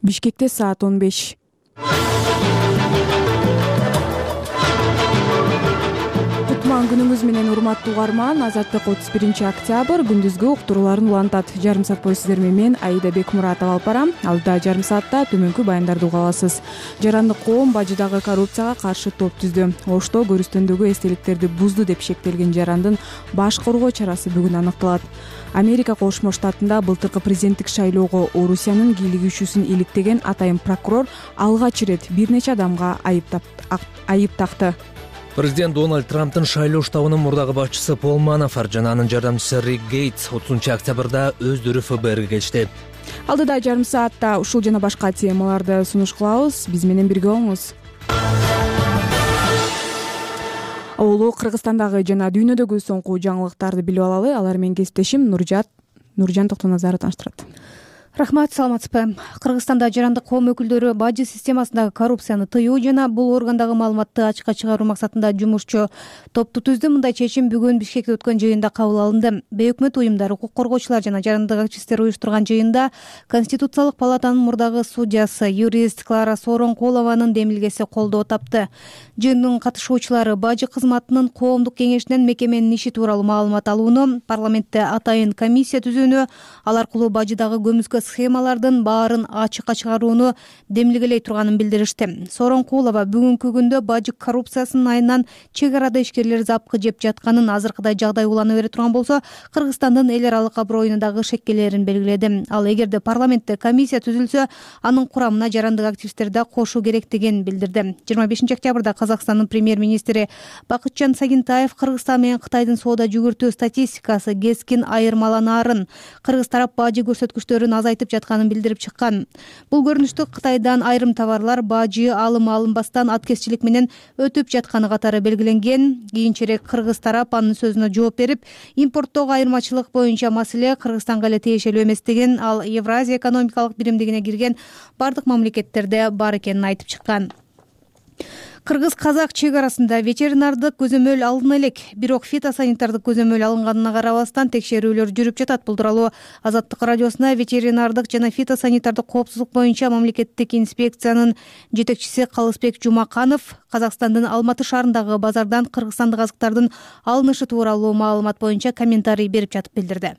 Бишкекте саат 15. Кутман күнүңүз менен урматтуу угарман. Азаттык 31-октябрь күндүзгү уктурууларын улантат. Жарым саат бою сиздер менен мен Аида Бекмуратова алып барам. Алдыда жарым саатта төмөнкү баяндарды уга аласыз. Жарандык коом бажыдагы коррупцияга каршы топ түздү. Ошто көрүстөндөгү эстеликтерди бузду деп шектелген жарандын баш коргоо чарасы бүгүн аныкталат. Америка Кошмо Штатында былтыркы президенттик шайлоого Орусиянын кийлигүүчүсүн иликтеген атайын прокурор алгач ирет бир нече адамга айып такты. Президент Дональд Трамптын шайлоо штабынын мурдагы башчысы Пол Манафорт жана анын жардамчысы Рик Гейтс 30-октябрда өздөрү ФБРге келишти. Алдыда жарым саатта ушул жана башка темаларды сунуш кылабыз. Биз менен бирге болуңуз. Олу Кыргызстандагы жана дүйнөдөгү соңку жаңылыктарды билип алалы. Алар менен кесиптешим Нуржан Токтоназаров тааныштырат. Рахмат, саламатсызбы. Кыргызстанда жарандык коом өкүлдөрү бажы системасындагы коррупцияны тыюу жана бул органдагы маалыматты ачыкка чыгаруу максатында жумушчу топту түздү. Мындай чечим бүгүн Бишкекте өткөн жыйында кабыл алынды. Бейөкмөт уюмдар, укук коргоочулар жана жарандык активисттер уюштурган жыйында Конституциялык палатанын мурдагы судьясы, юрист Клара Сооронкулованын демилгеси колдоо тапты. Жыйындын катышуучулары бажы кызматынын коомдук кеңешинен мекеменин иши тууралуу маалымат алууну, парламентте атайын комиссия түзүүнү, ал аркылуу бажыдагы көмүскө схемалардын баарын ачыкка чыгарууну демилгелей турганын билдиришти. Сооронкулова бүгүнкү күндө бажы коррупциясынын айынан чек арада ишкерлер запкы жеп жатканын, азыркыдай жагдай улана бере турган болсо, Кыргызстандын эл аралык аброюна дагы шеккелерин белгиледи. Ал эгерде парламентте комиссия түзүлсө, анын курамына жарандык активисттерди да кошуу керектигин билдирди. 25-октябрда Казакстандын премьер-министри Бакытжан Сагынтаев Кыргызстан менен Кытайдын соода жүгүртүү статистикасы кескин айырмаланаарын, кыргыз тарап бажы көрсөткүчтөрүн азайтып жатканын билдирип чыккан. Бул көрүнүштү Кытайдан айрым товарлар бажы алынбастан аткезчилик менен өтүп жатканы катары белгиленген. Кийинчерээк кыргыз тарап анын сөзүнө жооп берип, импорттогу айырмачылык боюнча маселе Кыргызстанга эле тиешелүү эместигин, ал Евразия экономикалык биримдигине кирген бардык мамлекеттерде бар экенин айтып чыккан. Кыргыз-казак чек арасында ветеринардык көзөмөл алына элек, бирок фитосанитардык көзөмөл алынганына карабастан текшерүүлөр жүрүп жатат. Бул тууралуу Азаттык радиосуна ветеринардык жана фитосанитардык коопсуздук боюнча мамлекеттик инспекциянын жетекчиси Калысбек Жумаканов Казакстандын Алматы шаарындагы базардан кыргызстандык азыктардын алынышы тууралуу маалымат боюнча комментарий берип жатып билдирди.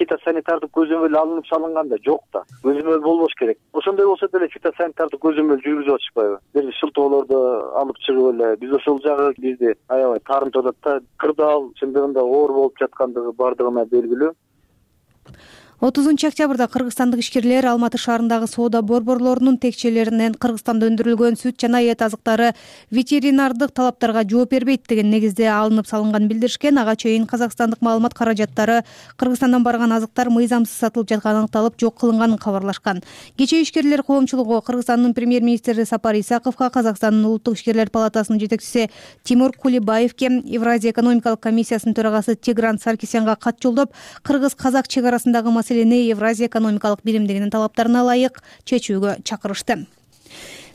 Фитосанитардык көзөмөл алынып салынганда жок да, көзөмөл болбош керек. Ошондой болсо деле фитосанитардык көзөмөл жүргүзүп атышпайбы? Бир шылтоолорду алып чыгып эле биз ошол жагы бизди аябай таарынтып атат да. Кырдаал чындыгында оор болуп жаткандыгы бардыгына белгилүү. 30-октябрда кыргызстандык ишкерлер Алматы шаарындагы соода борборлорунун текчелеринен Кыргызстанда өндүрүлгөн сүт жана эт азыктары ветеринардык талаптарга жооп бербейт деген негизде алынып салынганын билдиришкен. Ага чейин казакстандык маалымат каражаттары Кыргызстандан барган азыктар мыйзамсыз сатылып жатканы аныкталып, жок кылынганын кабарлашкан. Кечээ ишкерлер коомчулугу Кыргызстандын премьер-министри Сапар Исаковго, Казакстандын улуттук ишкерлер палатасынын жетекчиси Тимур Кулибаевке, Евразия экономикалык комиссиясынын төрагасы Тигран Саркисянга кат жолдоп, кыргыз-казак чек арасындагы маселени Евразия экономикалык биримдигинин талаптарына ылайык чечүүгө чакырышты.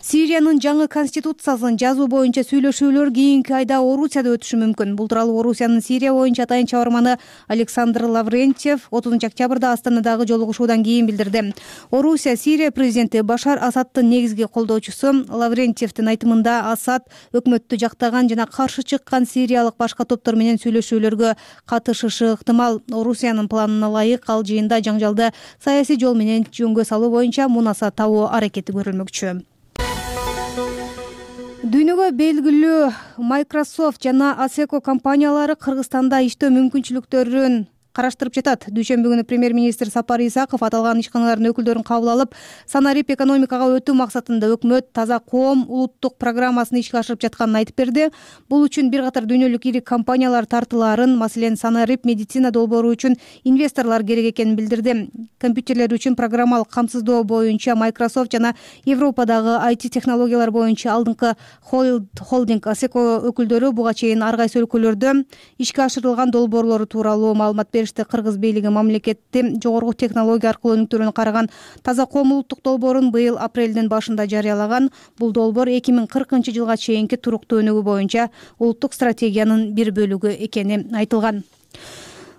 Сириянын жаңы конституциясын жазуу боюнча сүйлөшүүлөр кийинки айда Орусияда өтүшү мүмкүн. Бул тууралуу Орусиянын Сирия боюнча атайын чабарманы Александр Лаврентьев 30-октябрда Астанадагы жолугушуудан кийин билдирди. Орусия Сирия президенти Башар Асадтын негизги колдоочусу. Лаврентьевдин айтымында Асад өкмөттү жактаган жана каршы чыккан сириялык башка топтор менен сүйлөшүүлөргө катышышы ыктымал. Орусиянын планына ылайык ал жыйында жаңжалды саясий жол менен жөнгө салуу боюнча мунаса табуу аракети көрүлмөкчү. Дүйнөгө белгилүү Microsoft жана Asseco компаниялары Кыргызстанда иштөө мүмкүнчүлүктөрүн караштырып жатат. Дүйшөмбү күнү премьер-министр Сапар Исаков аталган ишканалардын өкүлдөрүн кабыл алып, санарип экономикага өтүү максатында өкмөт Таза коом улуттук программасын ишке ашырып жатканын айтып берди. Бул үчүн бир катар дүйнөлүк ири компаниялар тартылаарын, маселен, санарип медицина долбоору үчүн инвесторлор керек экенин билдирди. Компьютерлер үчүн программалык камсыздоо боюнча Microsoft жана Европадагы IT технологиялар боюнча алдыңкы холдинг Asseco өкүлдөрү буга чейин ар кайсы өлкөлөрдө ишке ашырылган долбоорлору тууралуу маалымат беришти. Кыргыз бийлиги мамлекетти жогорку технология аркылуу өнүктүрүүнү караган Таза коом улуттук долбоорун быйыл апрелдин башында жарыялаган. Бул долбоор 2040-жылга чейинки туруктуу өнүгүү боюнча улуттук стратегиянын бир бөлүгү экени айтылган.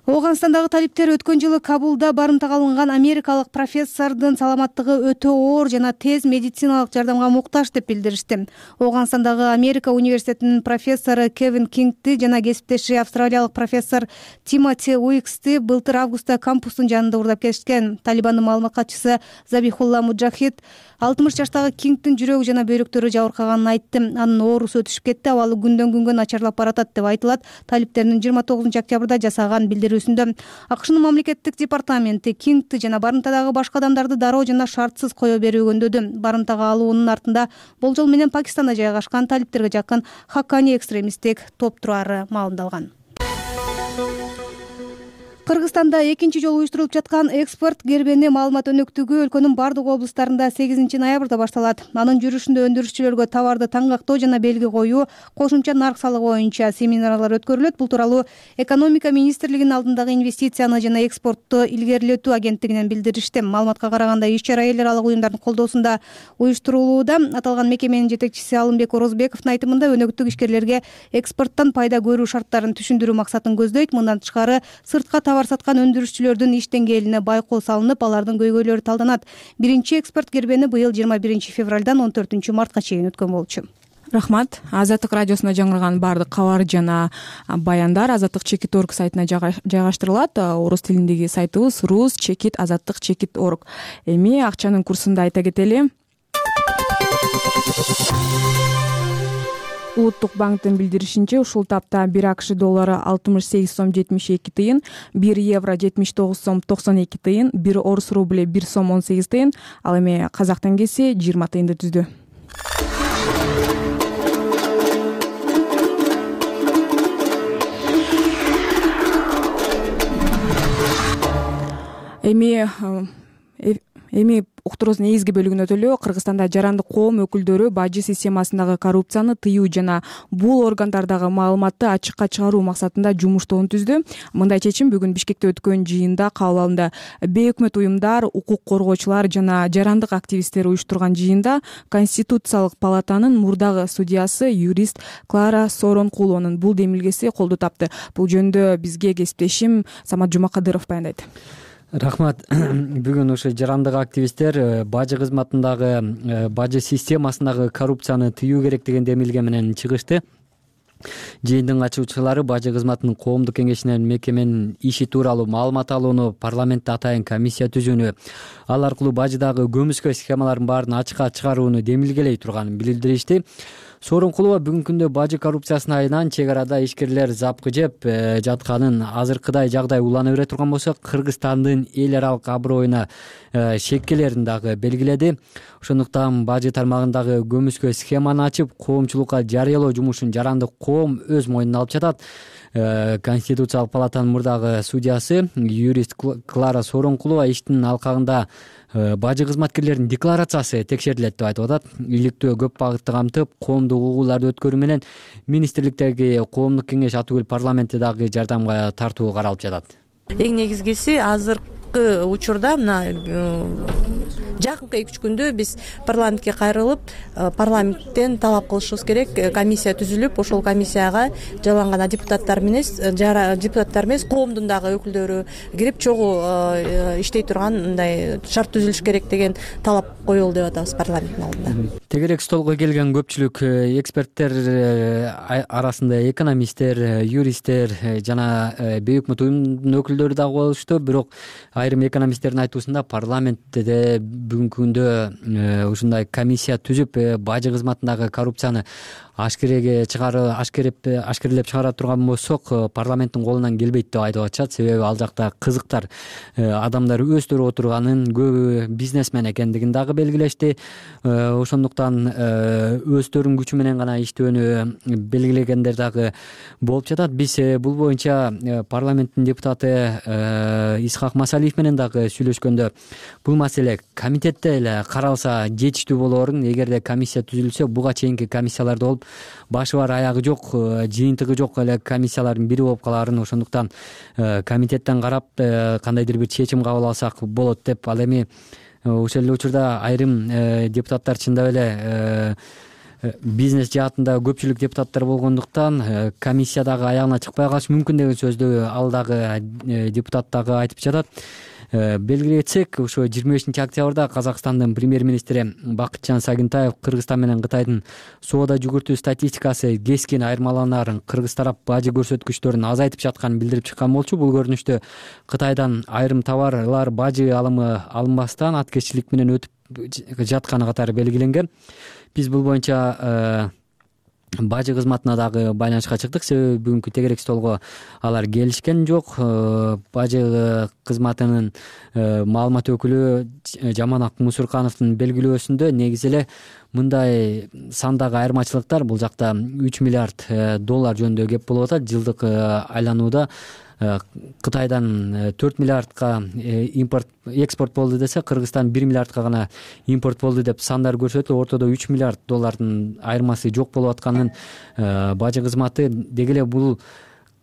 Ооганстандагы талиптер өткөн жылы Кабулда барымтага алынган америкалык профессордун саламаттыгы өтө оор жана тез медициналык жардамга муктаж деп билдиришти. Ооганстандагы Америка университетинин профессору Кевин Кингти жана кесиптеши австралиялык профессор Тимоти Уиксти былтыр августта кампустун жанында уурдап кетишкен. Талибандын маалымат катчысы Забихулла Муджахид 60 жаштагы Кингтин жүрөгү жана бөйрөктөрү жабыркаганын айтты. Анын оорусу өтүшүп кетти, абалы күндөн күнгө начарлап баратат деп айтылат талиптердин 29 октябрда жасаган билдирүүсүндө. АКШнын мамлекеттик департаменти Кингти жана барымтадагы башка адамдарды дароо жана шартсыз кое берүүгө өндөдү. Барымтага алуунун артында болжол менен Пакистанда жайгашкан талиптерге жакын Хаккани экстремисттик топ турары маалымдалган. Кыргызстанда экинчи жолу уюштурулуп жаткан экспорт кербени маалымат өнөктүгү өлкөнүн бардык облустарында 8 ноябрда башталат. Анын жүрүшүндө өндүрүшчүлөргө товарды таңгактоо жана белги коюу, кошумча нарк салыгы боюнча семинарлар өткөрүлөт. Бул тууралуу экономика министрлигинин алдындагы инвестицияны жана экспортту илгерилетүү агенттигинен билдиришти. Маалыматка караганда иш-чара эл аралык уюмдардын колдоосунда уюштурулууда. Аталган мекеменин жетекчиси Алымбек Орозбековдун айтымында өнөктүк ишкерлерге экспорттон пайда көрүү шарттарын түшүндүрүү максатын көздөйт. Мындан тышкары сыртка товар саткан өндүрүшчүлөрдүн иш деңгээлине байкоо салынып, алардын көйгөйлөрү талданат. Биринчи экспорт кербени быйыл 21 февралдан 14 мартка чейин өткөн болчу. Рахмат. Азаттык радиосуна жаңырган баардык кабар жана баяндар azattik.org сайтына жайгаштырылат. Орус тилиндеги сайтыбыз rus.azattik.org. Эми акчанын курсун да айта кетели. Улуттук банктын билдиришинче, ушул тапта 1 АКШ доллары 68 сом 72 тыйын, 1 евро 79 сом 92 тыйын, 1 орус рубль 1 сом 18 тыйын, ал эми казак теңгеси 20 тыйынды түздү. Эми уктуруубуздун негизги бөлүгүнө өтөлү. Кыргызстанда жарандык коом өкүлдөрү бажы системасындагы коррупцияны тыюу жана бул органдардагы маалыматты ачыкка чыгаруу максатында жумуш тобун түздү. Мындай чечим бүгүн Бишкекте өткөн жыйында кабыл алынды. Бейөкмөт уюмдар, укук коргоочулар жана жарандык активисттер уюштурган жыйында Конституциялык палатанын мурдагы судьясы юрист Клара Соронкулованын бул демилгеси колдоо тапты. Бул жөнүндө бизге кесиптешим Самат Жумакадыров баяндайт. Рахмат. Бүгүн ошо жарандык активисттер бажы кызматындагы бажы системасындагы коррупцияны тыюу керек деген демилге менен чыгышты. Жыйындын катышуучулары бажы кызматынын коомдук кеңешинен мекеменин иши тууралуу маалымат алууну, парламентте атайын комиссия түзүүнү, ал аркылуу бажыдагы көмүскө схемалардын баарын ачыкка чыгарууну демилгелей турганын билдиришти. Соронкулова бүгүнкү күндө бажы коррупциясына айынан чек арада ишкерлер запкы жеп жатканын, азыркыдай жагдай улана бере турган болсо, Кыргызстандын эл аралык аброюна шек келерин дагы белгиледи. Ошондуктан бажы тармагындагы көмүскө схеманы ачып, коомчулукка жарыялоо жумушун жарандык коом өз мойнуна алып жатат. Конституциялык палатанын мурдагы судьясы юрист Клара Соронкулова иштин алкагында бажы кызматкерлеринин декларациясы текшерилет деп айтып атат. Иликтөө көп багытты камтып, коомдук угууларды өткөрүү менен министрликтеги коомдук кеңеш аты бүл парламентте дагы жардамга тартуу каралып жатат. Эң негизгиси азыркы учурда мына жакынкы 2-3 күндө биз парламентке кайрылып, парламенттен талап кылышыбыз керек. Комиссия түзүлүп, ошол комиссияга жалган депутаттар эмес, коомдун дагы өкүлдөрү кирип, чогуу иштей турган мындай шарт түзүлүш керек деген талап коюлду деп атабыз парламенттин алдында. Тегерек столго келген көпчүлүк эксперттер арасында экономисттер, юристтер жана бейөкмөт уюмдун өкүлдөрү дагы болушту. Бирок айрым экономисттердин айтуусунда парламентте бүгүнкү күндө ушундай комиссия түзүп, бажы кызматындагы коррупцияны ашкерелеп чыгара турган болсок, парламенттин колунан келбейт деп айтып атышат. Себеби ал жакта кызыктар адамдар өздөрү отурганын, көбү бизнесмен экендигин дагы белгилешти. Ошондуктан өздөрүнүн күчү менен гана иштөөнү белгилегендер дагы болуп жатат. Биз бул боюнча парламенттин депутаты Исхак Масалиев менен дагы сүйлөшкөндө бул маселе комитетте эле каралса жетиштүү болоорун, эгерде комиссия түзүлсө, буга чейинки комиссияларда болуп башы бар аягы жок, жыйынтыгы жок эле комиссиялардын бири болуп калаарын, ошондуктан комитеттен карап кандайдыр бир чечим кабыл алсак болот деп. Ал эми ошол эле учурда айрым депутаттар чындап эле бизнес жаатында көпчүлүк депутаттар болгондуктан комиссия дагы аягына чыкпай калышы мүмкүн деген сөздү ал дагы депутат дагы айтып жатат. Белгилей кетсек, ошо 25 октябрда Казакстандын премьер-министри Бакытжан Сагынтаев Кыргызстан менен Кытайдын соода жүгүртүү статистикасы кескин айырмаланарын, кыргыз тарап бажы көрсөткүчтөрүн азайтып жатканын билдирип чыккан болчу. Бул көрүнүштө Кытайдан айрым товарлар бажы алымы алынбастан аткезчилик менен өтүп жатканы катары белгиленген. Биз бул боюнча бажы кызматына дагы байланышка чыктык, себеби бүгүнкү тегерек столго алар келишкен жок. Бажы кызматынын маалымат өкүлү Жаманак Мусуркановдун белгилөөсүндө негизи эле мындай сандагы айырмачылыктар, бул жакта 3 миллиард доллар жөнүндө кеп болуп атат. Жылдык айланууда Кытайдан 4 миллиардка экспорт болду десе, Кыргызстан 1 миллиардка гана импорт болду деп сандар көрсөтүлүп, ортодо 3 миллиард доллардын айырмасы жок болуп атканын бажы кызматы деги эле бул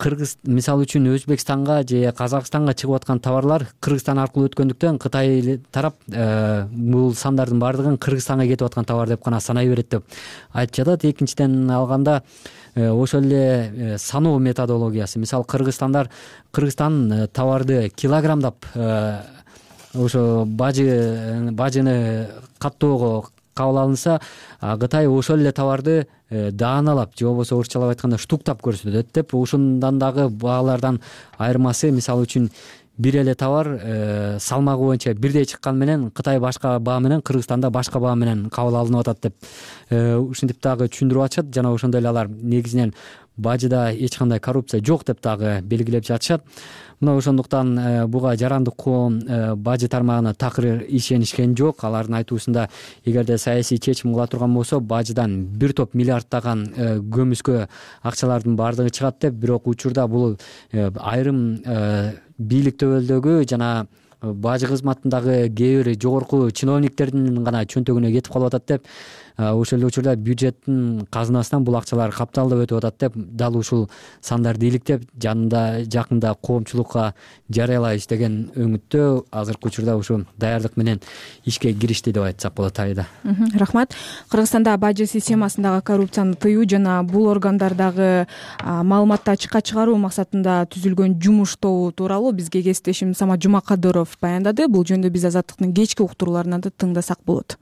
Кыргыз мисалы үчүн Өзбекстанга же Казакстанга чыгып аткан товарлар Кыргызстан аркылуу өткөндүктөн Кытай тарап бул сандардын баардыгын Кыргызстанга кетип аткан товар деп гана санай берет деп айтып жатат. Экинчиден алганда ошол эле саноо методологиясы, мисалы Кыргызстан товарды килограммдап ошо бажыны каттоого кабыл алынса, Кытай ошол эле товарды дааналап же болбосо орусчалап айтканда штуктап көрсөтөт деп, ушундан дагы баалардан айырмасы, мисалы үчүн бир эле товар салмагы боюнча бирдей чыккан менен Кытай башка баа менен, Кыргызстанда башка баа менен кабыл алынып атат деп ушинтип дагы түшүндүрүп атышат. Жана ошондой эле алар негизинен бажыда эч кандай коррупция жок деп дагы белгилеп жатышат. Мына ошондуктан буга жарандык коом бажы тармагына такыр ишенишкен жок. Алардын айтуусунда, эгерде саясий чечим кыла турган болсо, бажыдан бир топ миллиарддаган көмүскө акчалардын баардыгы чыгат деп. Бирок учурда бул айрым бийлик төбөлдөгү жана бажы кызматындагы кээ бир жогорку чиновниктердин гана чөнтөгүнө кетип калып атат деп, ошол эле учурда бюджеттин казынасынан бул акчалар капталдап өтүп атат деп дал ушул сандарды иликтеп жакында коомчулукка жарыялайбыз деген өңүттө азыркы учурда ушу даярдык менен ишке киришти деп айтсак болот. Айда. Рахмат. Кыргызстанда бажы системасындагы коррупцияны тыюу жана бул органдардагы маалыматты ачыкка чыгаруу максатында түзүлгөн жумуш тобу тууралуу бизге кесиптешим Самат Жумакадыров баяндады. Бул жөнүндө биз Азаттыктын кечки уктурууларынан да тыңдасак болот.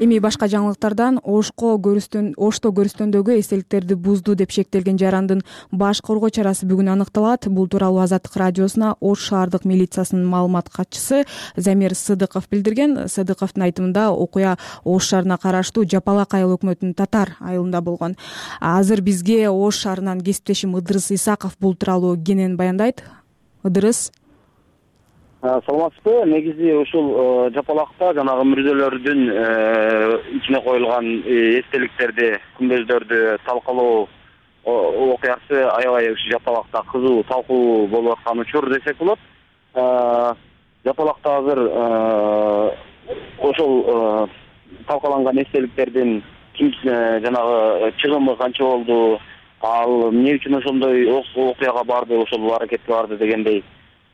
Эми башка жаңылыктардан Ошто көрүстөндөгү эстеликтерди бузду деп шектелген жарандын баш коргоо чарасы бүгүн аныкталат. Бул тууралуу Азаттык радиосуна Ош шаардык милициясынын маалымат катчысы Замир Сыдыков билдирген. Сыдыковдун айтымында окуя Ош шаарына караштуу Жапалак айыл өкмөтүнүн Татар айылында болгон. Азыр бизге Ош шаарынан кесиптешим Ыдырыс Исаков бул тууралуу кенен баяндайт. Ыдырыс. Саламатсызбы? Негизи ушул Жапалакта жанагы мүрзөлөрдүн ичине коюлган эстеликтерди, күмбөздөрдү талкалоо окуясы аябай ушу Жапалакта кызуу талкуу болуп аткан учур десек болот. Жапалакта азыр ошол талкаланган эстеликтердин жанагы чыгымы канча болду, ал эмне үчүн ошондой окуяга барды, ошол аракетке барды дегендей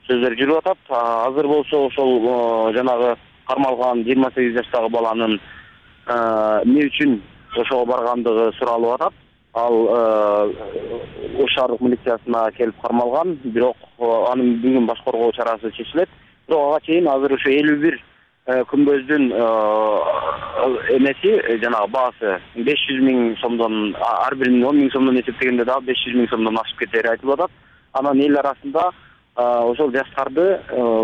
сөздөр жүрүп атат. Азыр болсо ошол жанагы кармалган 28 жаштагы баланын эмне үчүн ошого баргандыгы суралып атат. Ал Ош шаардык милициясына келип кармалган, бирок анын бүгүн баш коргоо чарасы чечилет. Бирок ага чейин азыр ошо 51 күмбөздүн эмеси жанагы баасы 500 миң сомдон, ар биринин 10 миң сомдон эсептегенде дагы 500 миң сомдон ашып кетери айтылып атат. Анан эл арасында ошол жаштарды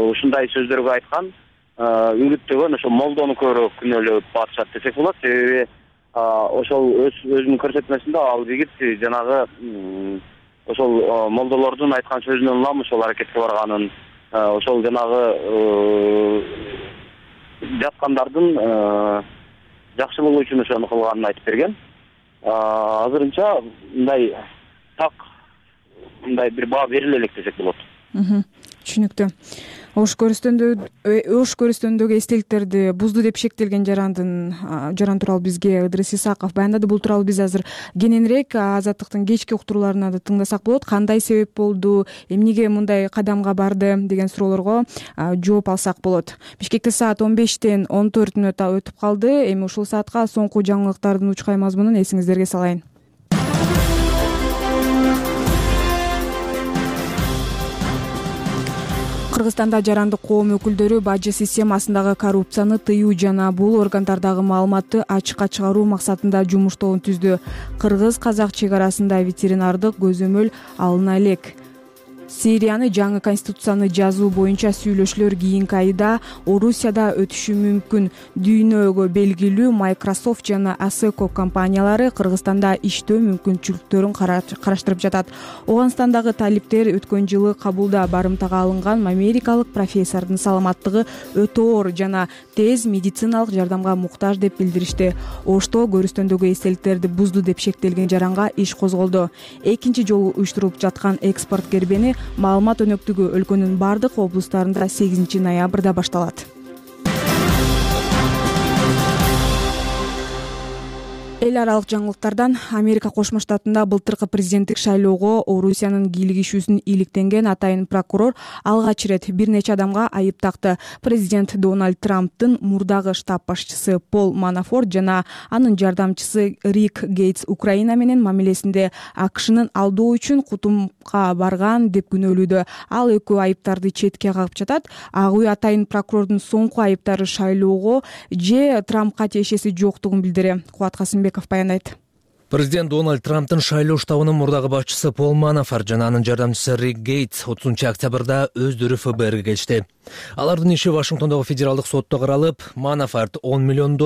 ушундай сөздөргө айткан, үгүттөгөн ошол молдону көбүрөөк күнөөлөп атышат десек болот. Себеби ошол өзүнүн көрсөтмөсүндө ал жигит жанагы ошол молдолордун айткан сөзүнөн улам ошол аракетке барганын, ошол жанагы жаткандардын жакшылыгы үчүн ошону кылганын айтып берген. Азырынча мындай так мындай бир баа бериле элек десек болот. Түшүнүктүү. ош көрүстөнүндөгү эстеликтерди бузду деп шектелген жаран тууралуу бизге Ыдырыс Исаков баяндады. Бул тууралуу биз азыр кененирээк Азаттыктын кечки уктурууларынан да тыңдасак болот. Кандай себеп болду, эмнеге мындай кадамга барды деген суроолорго жооп алсак болот. Бишкекте саат 15-тен 14 мүнөт өтүп калды. Эми ушул саатка соңку жаңылыктардын учкай мазмунун эсиңиздерге салайын. Кыргызстанда жарандык коом өкүлдөрү бажы системасындагы коррупцияны тыюу жана бул органдардагы маалыматты ачыкка чыгаруу максатында жумуш тобун түздү. Кыргыз-казак чек арасында ветеринардык көзөмөл алына элек. Сирияны жаңы конституцияны жазуу боюнча сүйлөшүүлөр кийинки айда Орусияда өтүшү мүмкүн. Дүйнөгө белгилүү Microsoft жана ASECO компаниялары Кыргызстанда иштөө мүмкүнчүлүктөрүн караштырып жатат. Ооганстандагы талиптер өткөн жылы кабулда барымтага алынган америкалык профессордун саламаттыгы өтө оор жана тез медициналык жардамга муктаж деп билдиришти. Ошто көрүстөндөгү эстеликтерди бузду деп шектелген жаранга иш козголду. Экинчи жолу уюштурулуп жаткан экспорт кербени маалымат өнөктүгү өлкөнүн бардык облустарында 8 ноябрда башталат. Эл аралык жаңылыктардан Америка Кошмо Штатында былтыркы президенттик шайлоого Орусиянын кийлигишүүсүн иликтенген атайын прокурор алгач ирет бир нече адамга айып такты. Президент Дональд Трамптын мурдагы штаб башчысы Пол Манафорт жана анын жардамчысы Рик Гейтс Украина менен мамилесинде АКШнын алдоо үчүн кутумга барган деп күнөөлүүдө. Ал экөө айыптарды четке кагып жатат. Ак үй атайын прокурордун соңку айыптары шайлоого же Трампка тиешеси жоктугун билдири. Кубат Касымбеков баяндайт. Президент Дональд Трамптын шайлоо штабынын мурдагы башчысы Пол Манафорт жана анын жардамчысы Рик Гейтс 30-октябрда өздөрү ФБРге келишти. Алардын иши Вашингтондогу федералдык сотто каралып, Манафорт $10 миллион,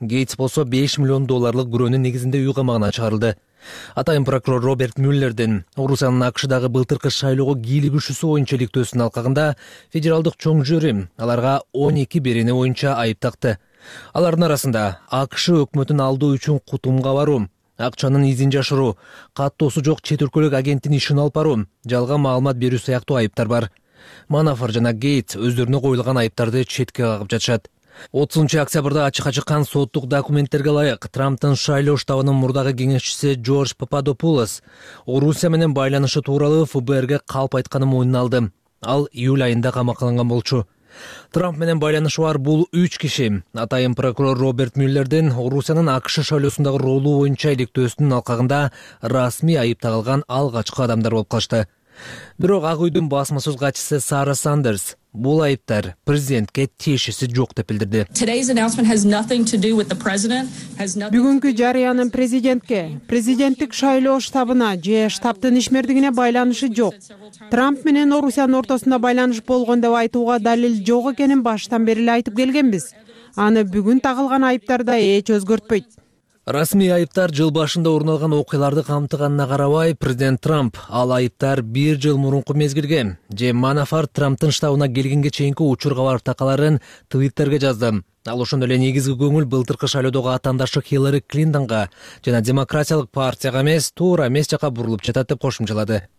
Гейтс болсо $5 миллион күрөөнүн негизинде үй камагына чыгарылды. Атайын прокурор Роберт Мюллердин Орусиянын АКШдагы былтыркы шайлоого кийлигишүүсү боюнча иликтөөсүнүн алкагында федералдык чоң жюри аларга 12 берене боюнча айып такты. Алардын арасында АКШ өкмөтүн алдоо үчүн кутумга баруу, акчанын изин жашыруу, каттоосу жок чет өлкөлүк агенттин ишин алып баруу, жалган маалымат берүү сыяктуу айыптар бар. Манафорт жана Гейтс өздөрүнө коюлган айыптарды четке кагып жатышат. 30-октябрда ачыкка чыккан соттук документтерге ылайык Трамптын шайлоо штабынын мурдагы кеңешчиси Джордж Пападопулос Орусия менен байланышы тууралуу ФБРге калп айтканын мойнуна алды. Ал июль айында камакаланган болчу. Трамп менен байланышы бар бул 3 киши атайын прокурор Роберт Мюллердин Орусиянын АКШ шайлоосундагы ролу боюнча иликтөөсүнүн алкагында расмий айып тагылган алгачкы адамдар болуп калышты. Бирок Ак үйдүн басма сөз катчысы Сара Сандерс бул айыптар президентке тиешеси жок деп билдирди. Бүгүнкү жарыянын президенттик шайлоо штабына же штабтын ишмердигине байланышы жок. Трамп менен Орусиянын ортосунда байланыш болгон деп айтууга далил жок экенин баштан бери эле айтып келгенбиз. Аны бүгүн тагылган айыптар да эч өзгөртпөйт. Расмий айыптар жыл башында орун алган окуяларды камтыганына карабай, президент Трамп ал айыптар 1 жыл мурунку мезгилге же Манафорт Трамптын штабына келгенге чейинки учур кабар такаларын Твиттерге жазды. Ал ошондой эле негизги көңүл былтыркы шайлоодогу атаандашы Хиллари Клинтонго жана демократиялык партияга эмес, туура эмес жака бурулуп жатат деп кошумчалады.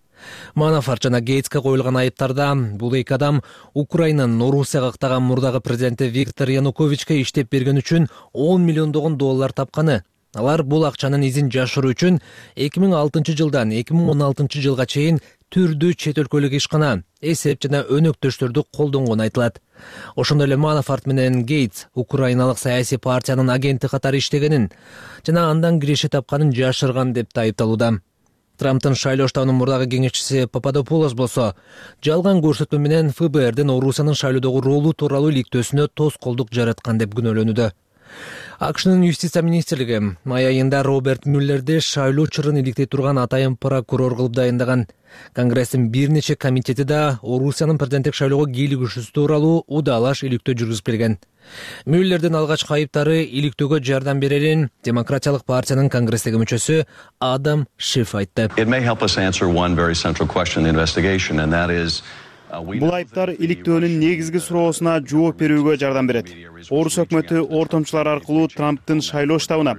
Манафорт жана Гейтске коюлган айыптарда бул эки адам Украинанын Орусияга ыктаган мурдагы президенти Виктор Януковичке иштеп берген үчүн $10 миллион тапканы. Алар бул акчанын изин жашыруу үчүн 2006 жылдан 2016 жылга чейин түрдүү чет өлкөлүк ишкана, эсеп жана өнөктөштөрдү колдонгону айтылат. Ошондой эле Манафорт менен Гейтс Украиналык саясий партиянын агенти катары иштегенин жана андан киреше тапканын жашырган деп айыпталууда. Трамптын шайлоо штабынын мурдагы кеңешчиси Пападопулос болсо жалган көрсөтмө менен ФБРдин Орусиянын шайлоодогу ролу тууралуу иликтөөсүнө тоскоолдук жараткан деп күнөөлөнүүдө. АКШнын юстиция министрлиги май айында Роберт Мюллерди шайлоо чырын иликтей турган атайын прокурор кылып дайындаган. Конгресстин бир нече комитети да Орусиянын президенттик шайлоого кийлигишүүсү тууралуу удалаш иликтөө жүргүзүп келген. Мюллердин алгачкы айыптары иликтөөгө жардам берерин демократиялык партиянын конгресстеги мүчөсү Адам Шиф айтты. Бул айыптар иликтөөнүн негизги суроосуна жооп берүүгө жардам берет. Орус өкмөтү ортомчулар аркылуу Трамптын шайлоо штабына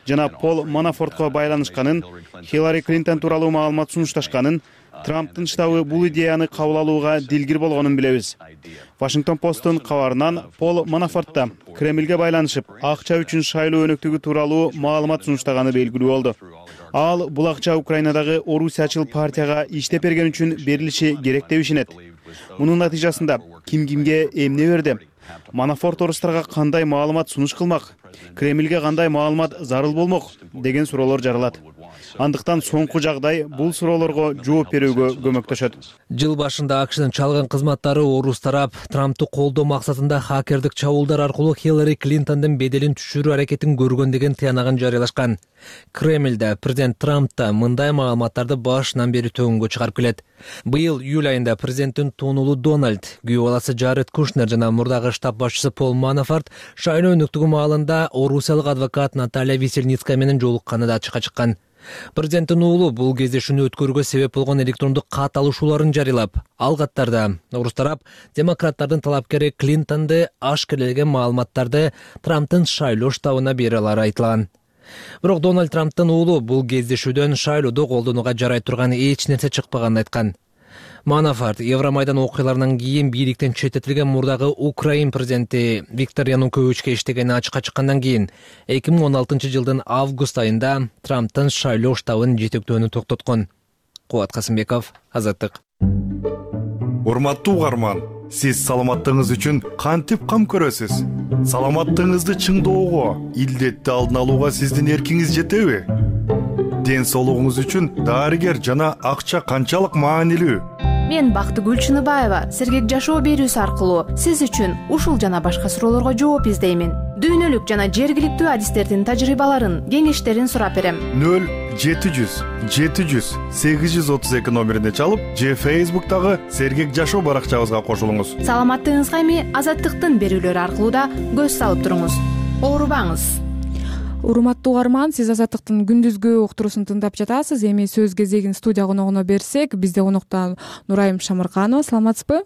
жана Пол Манафортко байланышканын, Хиллари Клинтон тууралуу маалымат сунушташканын, Трамптын штабы бул идеяны кабыл алууга дилгир болгонун билебиз. Вашингтон посттун кабарынан Пол Манафортта Кремлге байланышып, акча үчүн шайлоо өнөктүгү тууралуу маалымат сунуштаганы белгилүү болду. Ал бул акча Украинадагы орусиячыл партияга иштеп берген үчүн берилиши керек деп ишенет. Мунун натыйжасында ким кимге эмне берди? Манафорт орустарга кандай маалымат сунуш кылмак? Кремлге кандай маалымат зарыл болмок деген суроолор жаралат. Андыктан соңку жагдай бул суроолорго жооп берүүгө көмөктөшөт. Жыл башында АКШнын чалган кызматтары орус тарап Трамптты колдоо максатында хакердик чабуулдар аркылуу Хиллари Клинтондун беделин түшүрүү аракетин көргөн деген тыянагын жарыялашкан. Кремлде президент Трампта мындай маалыматтарды башынан бери төгүнгө чыгарып келет. Быйыл июль айында президенттин туунулу Дональд, күйөө баласы Джаред Кушнер жана мурдагы штаб башчысы Пол Манафорт шайлоо өнөктүгү маалында орусиялык адвокат Наталья Весельницкая менен жолукканы да ачыкка чыккан. Президенттин уулу бул кездешүүнү өткөрүүгө себеп болгон электрондук кат алышууларын жарыялап, ал каттарда орус тарап демократтардын талапкери Клинтонду ашкерелеген маалыматтарды Трамптын шайлоо штабына бере алары айтылган. Бирок Дональд Трамптын уулу бул кездешүүдөн шайлоодо колдонууга жарай турган эч нерсе чыкпаганын айткан. Манафорт Евромайдан окуяларынан кийин бийликтен четтетилген мурдагы Украин президенти Виктор Януковичке иштегени ачыкка чыккандан кийин 2016-жылдын август айында Трамптын шайлоо штабын жетектөөнү токтоткон. Кубат Касымбеков, Азаттык. Урматтуу угарман, сиз саламаттыгыңыз үчүн кантип кам көрөсүз? Саламаттыгыңызды чыңдоого, илдетти алдын алууга сиздин эркиңиз жетеби? Ден соолугуңуз үчүн дарыгер жана акча канчалык маанилүү? Мен Бактыгүл Чыныбаева сергек жашоо берүүсү аркылуу сиз үчүн ушул жана башка суроолорго жооп издеймин. Дүйнөлүк жана жергиликтүү адистердин тажрыйбаларын, кеңештерин сурап берем. 0700 700 832 номерине чалып, же Facebook'тагы сергек жашоо баракчабызга кошулуңуз. Саламаттыгыңызга эми Азаттыктын берүүлөрү аркылуу да көз салып туруңуз. Оорубаңыз. Урматтуу угарман, сиз Азаттыктын күндүзгү уктуруусун тыңдап жатасыз. Эми сөз кезегин студия коногуна берсек, бизде конокто Нурайым Шамырканова. Саламатсызбы?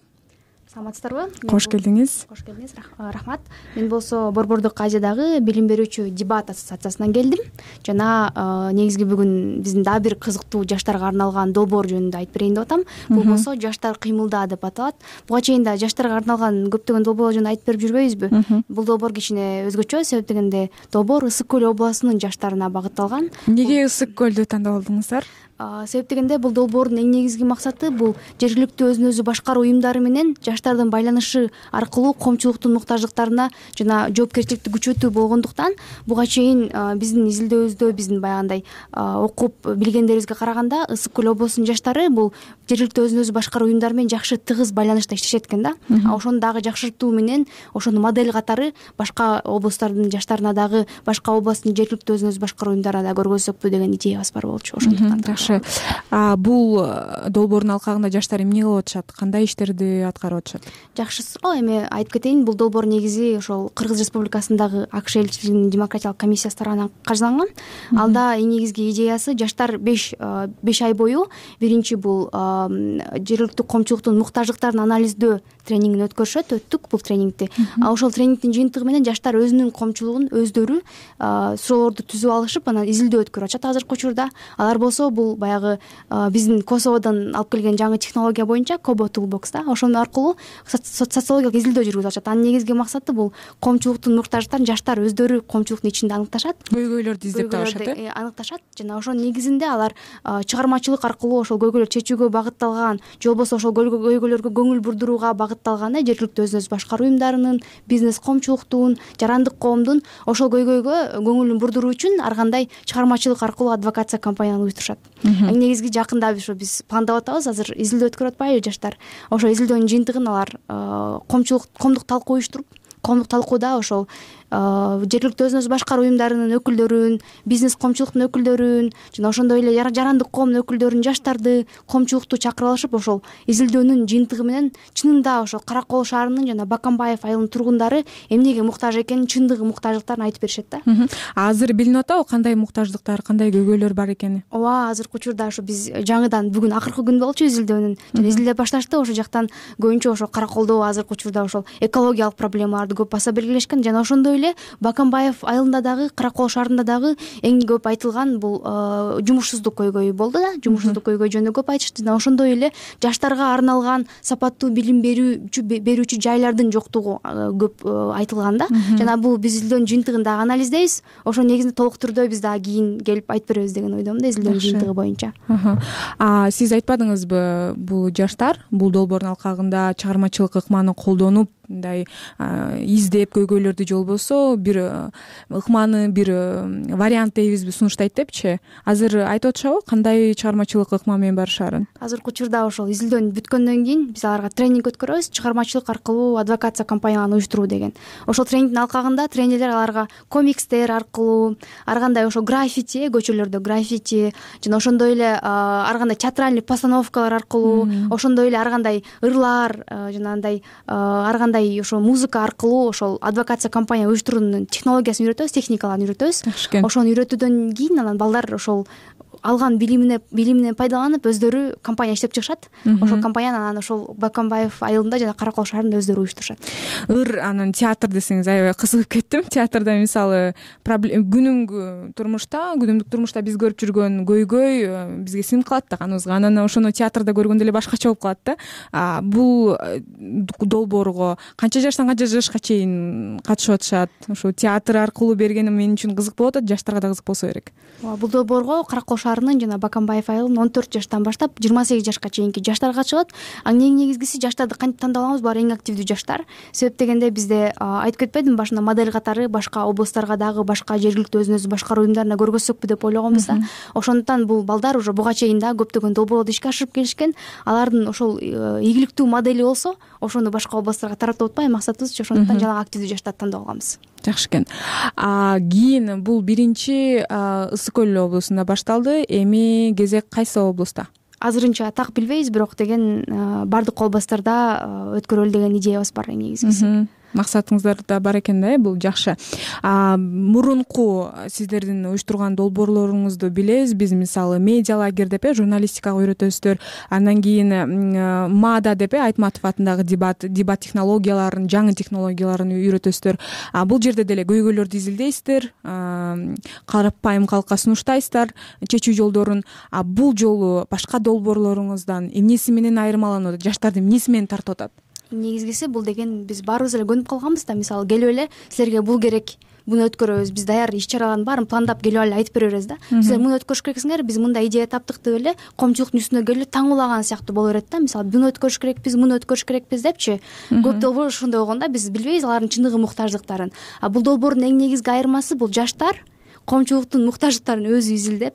Саламатсыздарбы? Кош келдиңиз. Кош келдиңиз. Рахмат. Мен болсо Борбордук Азиядагы билим берүүчү дебат ассоциациясынан келдим. Жана негизги бүгүн биздин дагы бир кызыктуу жаштарга арналган долбоор жөнүндө айтып берейин деп атам. Бул болсо Жаштар кыймылда деп аталат. Буга чейин да жаштарга арналган көптөгөн долбоорлор жөнүндө айтып берип жүрбөйбүзбү? Бул долбоор кичине өзгөчө, себеп дегенде долбоор Ысык көл областынын жаштарына багытталган. Эмнеге Ысык көлдү тандап алдыңыздар? Себеп дегенде бул долбоордун эң негизги максаты бул жергиликтүү өзүн өзү башкаруу уюмдары менен жаштардын байланышы аркылуу коомчулуктун муктаждыктарына жана жоопкерчиликти күчөтүү болгондуктан буга чейин биздин изилдөөбүздө биздин баягындай окуп билгендерибизге караганда Ысык көл областынын жаштары бул жергиликтүү өзүн өзү башкаруу уюмдары менен жакшы тыгыз байланышта иштешет экен да. Ошону дагы жакшыртуу менен ошону модель катары башка областтардын жаштарына дагы, башка областтын жергиликтүү өзүн өзү башкаруу уюмдарына да көргөзсөкпү деген идеябыз бар болчу. Ошондуктан бул долбоордун алкагында жаштар эмне кылып атышат, кандай иштерди аткарып атышат? Жакшысы эми айтып кетейин, бул долбоор негизи ошол Кыргыз Республикасындагы АКШ элчилигинин демократиялык комиссиясы тарабынан каржыланган. Алда эң негизги идеясы жаштар 5 ай бою биринчи бул жергиликтүү коомчулуктун муктаждыктарын анализдөө тренингин өттүк бул тренингди. Ошол тренингдин жыйынтыгы менен жаштар өзүнүн коомчулугун өздөрү суроолорду түзүп алышып, анан изилдөө өткөрүп атышат азыркы учурда. Алар болсо бул баягы биздин Косоводон алып келген жаңы технология боюнча Kobo Toolbox да, ошону аркылуу социологиялык изилдөө жүргүзүп атышат. Анын негизги максаты бул коомчулуктун муктаждыктарын жаштар өздөрү коомчулуктун ичинде аныкташат, көйгөйлөрдү издеп табышат, аныкташат жана ошонун негизинде алар чыгармачылык аркылуу ошол көйгөйлөрдү чечүүгө багытталган же болбосо ошол көйгөйлөргө көңүл бурдурууга багытталган жергиликтүү өзүн өзү башкаруу уюмдарынын, бизнес коомчулуктун, жарандык коомдун ошол көйгөйгө көңүлүн бурдуруу үчүн ар кандай чыгармачылык аркылуу адвокация кампанияны уюштурушат. Эң негизги жакында биз пландап атабыз, азыр изилдөө өткөрүп атпайбы жаштар. Ошол изилдөөнүн жыйынтыгын алар коомдук талкуу уюштуруп, коомдук талкууда ошол жергиликтүү өзүн өзү башкаруу уюмдарынын өкүлдөрүн, бизнес коомчулуктун өкүлдөрүн жана ошондой эле жарандык коомдун өкүлдөрүн, жаштарды, коомчулукту чакырып алышып, ошол изилдөөнүн жыйынтыгы менен чынында ошол Кара Кол шаарынын жана Бакамбаев айылынын тургундары эмнеге муктаж экенин, чындыгы муктаждыктарын айтып беришет да. Азыр билинип атабы кандай муктаждыктар, кандай көйгөйлөр бар экени? Ооба, азыркы учурда ошо биз жаңыдан бүгүн акыркы күн болчу изилдөөнүн. Изилдеп башташты, ошол жактан көбүнчө ошо Кара Колдо азыркы учурда ошол экологиялык проблемаларды көп баса белгилешкен жана ошондой эле эле Бакамбаев айылында дагы, Каракол шаарында дагы эң көп айтылган бул жумушсуздук көйгөйү болду да. Жумушсуздук көйгөй жөнүндө көп айтышты. Жана ошондой эле жаштарга арналган сапаттуу билим берүүчү жайлардын жоктугу көп айтылган да. Жана бул биз изилдөөнүн жыйынтыгын дагы анализдейбиз. Ошо негизинде толук түрдө биз дагы кийин келип айтып беребиз деген ойдомун да, изилдөөнүн жыйынтыгы боюнча. Сиз айтпадыңызбы, бул жаштар бул долбоордун алкагында чыгармачылык ыкманы колдонуп, мындай издеп көйгөйлөрдү же болбосо бир ыкманы, бир вариант дейбизби, сунуштайт депчи. Азыр айтып атышабы кандай чыгармачылык ыкма менен барышаарын? Азыркы учурда ошол изилдөөнү бүткөндөн кийин биз аларга тренинг өткөрөбүз, чыгармачылык аркылуу адвокация кампанияларын уюштуруу деген. Ошол тренингдин алкагында тренерлер аларга комикстер аркылуу, ар кандай ошо граффити, көчөлөрдө граффити жана ошондой эле ар кандай театральный постановкалар аркылуу, ошондой эле ар кандай ырлар жана андай ар кандай ошо музыка аркылуу ошол адвокация кампания уюштуруунун технологиясын үйрөтөбүз, техникаларын үйрөтөбүз. Ошону үйрөтүүдөн кийин анан балдар ошол алган билиминен пайдаланып өздөрү компания иштеп чыгышат. Ошол компанияны анан ошол Бакамбаев айылында жана Каракол шаарында өздөрү уюштурушат. Анан театр десеңиз аябай кызыгып кеттим. Театрда мисалы күнүмдүк турмушта биз көрүп жүргөн көйгөй бизге сиңип калат да каныбызга. Анан ошону театрда көргөндө эле башкача болуп калат да. Бул долбоорго канча жаштан канча жашка чейин катышып атышат? Ошо театр аркылуу бергени мен үчүн кызык болуп атат, жаштарга да кызык болсо керек. Бул долбоорго Каракол шаарынын жана Бакамбаев айылынын 14 жаштан баштап 28 жашка чейинки жаштар катышат. Эң негизгиси жаштарды кантип тандап алабыз? Булар эң активдүү жаштар. Себеп дегенде бизде айтып кетпедимби башында модель катары башка областтарга дагы, башка жергиликтүү өзүн өзү башкаруу уюмдарына көргөзсөкпү деп ойлогонбуз да. Ошондуктан бул балдар уже буга чейин да көптөгөн долбоорлорду ишке ашырып келишкен. Алардын ошол ийгиликтүү модели болсо, ошону башка областтарга таратып атпай максатыбыз ошондуктан жаңы активдүү жаштарды тандап алганбыз. Жакшы экен. Кийин бул биринчи Ысык көл облусунда башталды. Эми кезек кайсы облустта? Азырынча так билбейбиз, бирок деген бардык областтарда өткөрөлү деген идеябыз бар эң негизгиси. Максатыңыздар бар экен да, бул жакшы. Мурунку сиздердин уюштурган долбоорлоруңузду билебиз. Биз мисалы медиа лагерь деп журналистикага үйрөтөсүздөр. Андан кийин МАДА деп Айтматов атындагы дебат технологияларын, жаңы технологияларын үйрөтөсүздөр. Бул жерде деле көйгөйлөрдү изилдейсиздер, карапайым калкка сунуштайсыздар чечүү жолдорун. Бул жолу башка долбоорлоруңуздан эмнеси менен айырмаланат? Жаштарды эмнеси менен тартып атат? Негизгиси бул деген биз баарыбыз эле көнүп калганбыз да. Мисалы келип эле силерге бул керек, буну өткөрөбүз. Биз даяр иш-чаралардын баарын пландап келип эле айтып беребиз да. Силер муну өткөрүш керексиңер, биз мындай идея таптык деп эле коомчулуктун үстүнө келип таңуулаган сыяктуу боло берет да. Мисалы буну өткөрүш керекпиз, муну өткөрүш керекпиз депчи. Көп долбоор ошондой болгон да. Биз билбейбиз алардын чындыгы муктаждыктарын. Бул долбоордун эң негизги айырмасы бул жаштар коомчулуктун муктаждыктарын өзү изилдеп,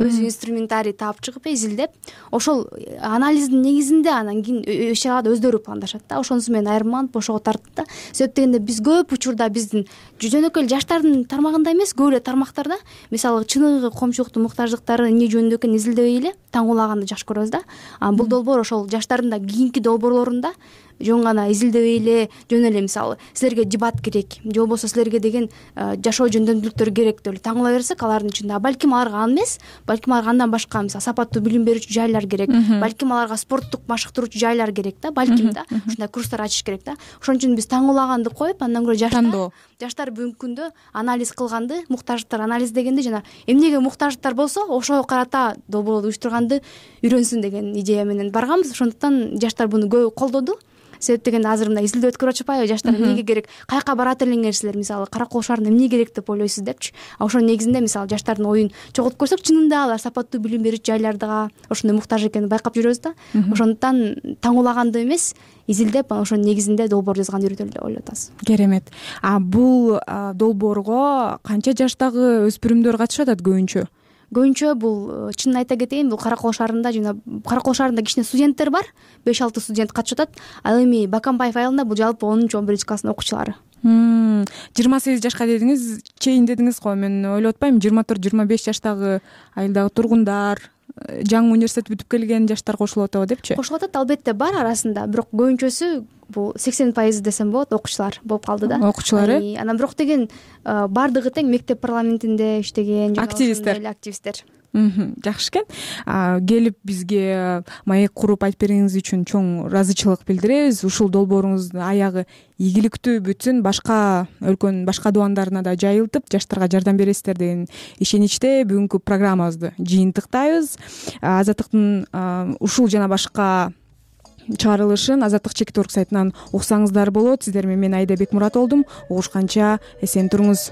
өзү инструментарий таап чыгып изилдеп, ошол анализдин негизинде анан кийин иш-чараларды өздөрү пландашат да. Ошонусу менен айырмаланып ошого тарттык да. Себеп дегенде биз көп учурда биздин жөнөкөй жаштардын тармагында эмес, көп эле тармактарда мисалы чыныгы коомчулуктун муктаждыктары эмне жөнүндө экенин изилдебей эле таңуулаганды жакшы көрөбүз да. Бул долбоор ошол жаштардын да кийинки долбоорлорунда жөн гана изилдебей эле, жөн эле мисалы силерге дебат керек же болбосо силерге деген жашоо жөндөмдүүлүктөр керек деп эле таңуулай берсек, алардын ичинде балким аларга ан эмес, балким аларга андан башка мисалы сапаттуу билим берүүчү жайлар керек, балким аларга спорттук машыктыруучу жайлар керек да, балким да ушундай курстар ачыш керек да. Ошон үчүн биз таңуулаганды коюп, андан көрө жаштар бүгүнкү күндө анализ кылганды, муктаждыктар анализдегенди жана эмнеге муктаждыктар болсо ошого карата долбоорду уюштурганды үйрөнсүн деген идея менен барганбыз. Ошондуктан жаштар буну көп колдоду. Себеп дегенде азыр мындай изилдөө өткөрүп атышпайбы? Жаштар эмнеге керек, каяка барат элеңер силер, мисалы Каракол шаарында эмне керек деп ойлойсуз депчи. Ошонун негизинде мисалы жаштардын оюн чогултуп көрсөк, чынында алар сапаттуу билим берүүчү жайларга ошондой муктаж экенин байкап жүрөбүз да. Ошондуктан таңуулаганды эмес, изилдеп анан ошонун негизинде долбоор жазганды үйрөтөлү деп ойлоп атабыз. Керемет. Бул долбоорго канча жаштагы өспүрүмдөр катышып атат көбүнчө? Көбүнчө бул чынын айта кетейин, бул Каракол шаарында жана Каракол шаарында кичине студенттер бар, 5-6 студент катышып атат. Ал эми Бакамбаев айылында бул жалпы 10-11 класстын окуучулары. 28 жашка дедиңиз, чейин дедиңиз го. Мен ойлоп атпаймынбы 24-25 жаштагы айылдагы тургундар, жаңы университет бүтүп келген жаштар кошулуп атабы депчи? Кошулуп атат, албетте бар арасында, бирок көбүнчөсү бул 80% десем болот, окуучулар болуп калды да. Окуучулар Анан бирок деген бардыгы тең мектеп парламентинде иштеген активисттер. жакшы экен. Келип бизге маек куруп айтып бергениңиз үчүн чоң ыраазычылык билдиребиз. Ушул долбооруңуздун аягы ийгиликтүү бүтүн, башка өлкөнүн башка дубандарына да жайылтып, жаштарга жардам бересиздер деген ишеничте бүгүнкү программабызды жыйынтыктайбыз. Азаттыктын ушул жана башка чыгарылышын Азаттык чекит орг сайтынан уксаңыздар болот. Сиздер менен мен Аида Бекмурат болдум. Угушканча эсен туруңуз.